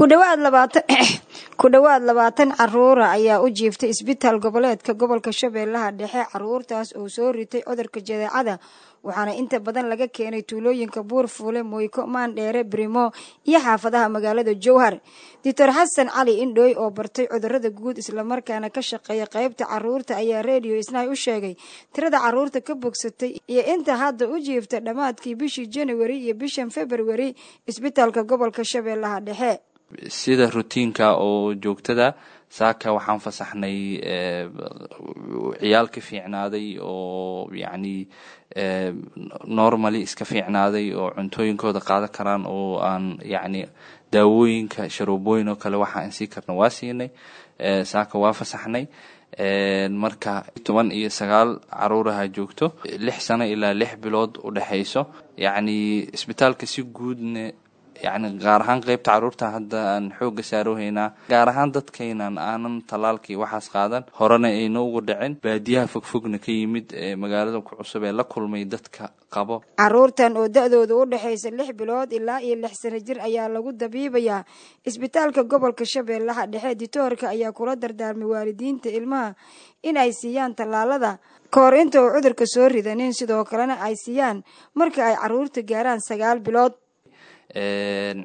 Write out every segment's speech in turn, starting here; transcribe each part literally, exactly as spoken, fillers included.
Ku dhawaad labaatan ku dhawaad labaatan caruura ayaa u jiiftay isbitaal goboleedka gobolka Shabeellaha Dhexe, caruurtaas oo soo ritay cudurka jadeecada, waxaana inta badan laga keenay tuulooyinka Buurfuule, Moyko, Maandheere, Brimo iyo xaafadaha magaalada Jowhar. Doctor Xasan Cali Indhooy oo bartay cudurada guud islamarkaana ka shaqeeya qaybta caruurta ayaa Radio Isnaay u sheegay tirada caruurta ka bogsatay iyo inta hadda u jiifta dhammaadkii bishii January iyo bishan February isbitaalka gobolka Shabeellaha Dhexe. Sida routine-ka oo joogtada, saaka waxaan fasaxnay ciyaal ka fiicnaaday oo yacni normally iska fiicnaaday oo cuntooyinkooda qaadan karaan, oo aan yacni daawooyinka sharoobooyin oo kale waxa aan sii karna waa siinay. Saaka waa fasaxnay. Marka toban iyo sagaal caruuraha joogto, lix sano ilaa lix bilood u dhexayso. Yacni isbitaalka si guudne, yacni gaar ahaan qeybta caruurta hadda aan xoogga saaroohaynaa, gaar ahaan dadkaynan aanan tallaalkii waxaas qaadan, horena ayna ugu dhicin, baadiyaha fogfogna ka yimid ee magaalada ku cusub ee la kulmay dadka qabo. Caruurtan oo da-dooda u dhexaysa lix bilood ilaa iyo lix sano jir ayaa lagu dabiibayaa isbitaalka gobolka Shabeellaha Dhexe. Ditoorka ayaa kula dardaarmay waalidiinta ilmaha in ay siiyaan tallaalada kahor inta uu cudurka soo ridanin, sidoo kalena ay siiyaan marka ay caruurta gaaraan sagaal bilood.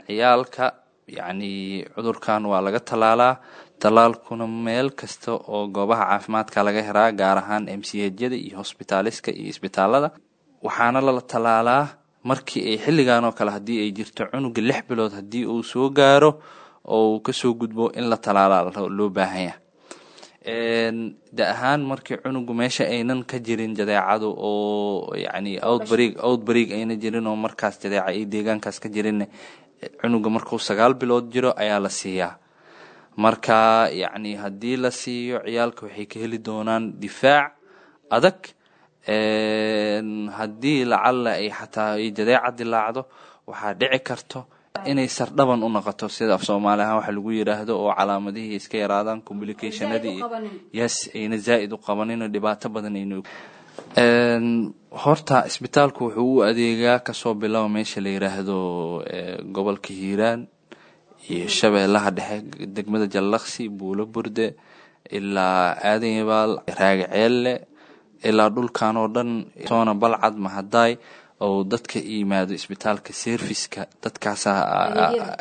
Ciyaalka yacni cudurkan waa laga tallaalaa, tallaalkuna meel kasta oo goobaha caafimaadka laga helaa, gaar ahaan M C H-yada iyo hosbitaaliska iyo isbitaalada. Waxaana lala tallaalaa markii ay xilligan oo kale haddii ay jirto cunuga lix bilood haddii uu soo gaaro oo uu kasoo gudbo in la tallaalaa loo baahan yahay. Da ahaan markii cunugu meesha aynan ka jirin jadeecadu oo yacni outbreak outbreak ayna jirin oo markaas jadeeca ay deegaankaas ka jirin, cunuga markuu sagaal bilood jiro ayaa la siiyaa. Marka yacni haddii la siiyo, ciyaalka waxay ka heli doonaan difaac adag. Haddii lacalla ay xataa ay jadeeca dilaacdo, waxaa dhici karto inay sardhaban u noqoto, sida af Soomaali ahaan waxa lagu yidhaahdo, oo calaamadihii iska yaraadaan, complicationadii, yes, ayna zaa'id u qabanin oo dhibaato badan ayna. Horta isbitaalku wuxuu u adeegaa kasoo bilow meesha la yidhaahdo gobolka Hiiraan iyo Shabeellaha Dhexe, degmada Jallaqsi, Buulo Burde, ilaa Aadan Yabaal, Raagi Ceelle, ilaa dhulkan oo dhan, toona Balcad, Mahadaay, oo dadka yimaado isbitaalka service-ka dadkaasaa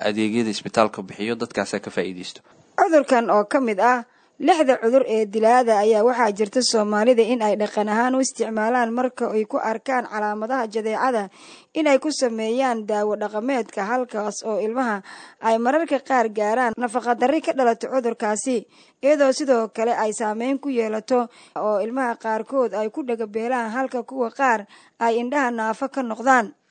adeegyada isbitaalka bixiyo, dadkaasaa ka faa'iideysto. Cudurkan oo ka mid ah lixda cudur ee dilaada ayaa waxaa jirta Soomaalida in ay dhaqan ahaan u isticmaalaan marka ay ku arkaan calaamadaha jadeecada inay ku sameeyaan daawo dhaqameedka, halkaas oo ilmaha ay mararka qaar gaaraan nafaqadarri ka dhalato cudurkaasi, iyadoo sidoo kale ay saameyn ku yeelato oo ilmaha qaarkood ay ku dhagabeelaan, halka kuwa qaar ay indhaha naafo ka noqdaan.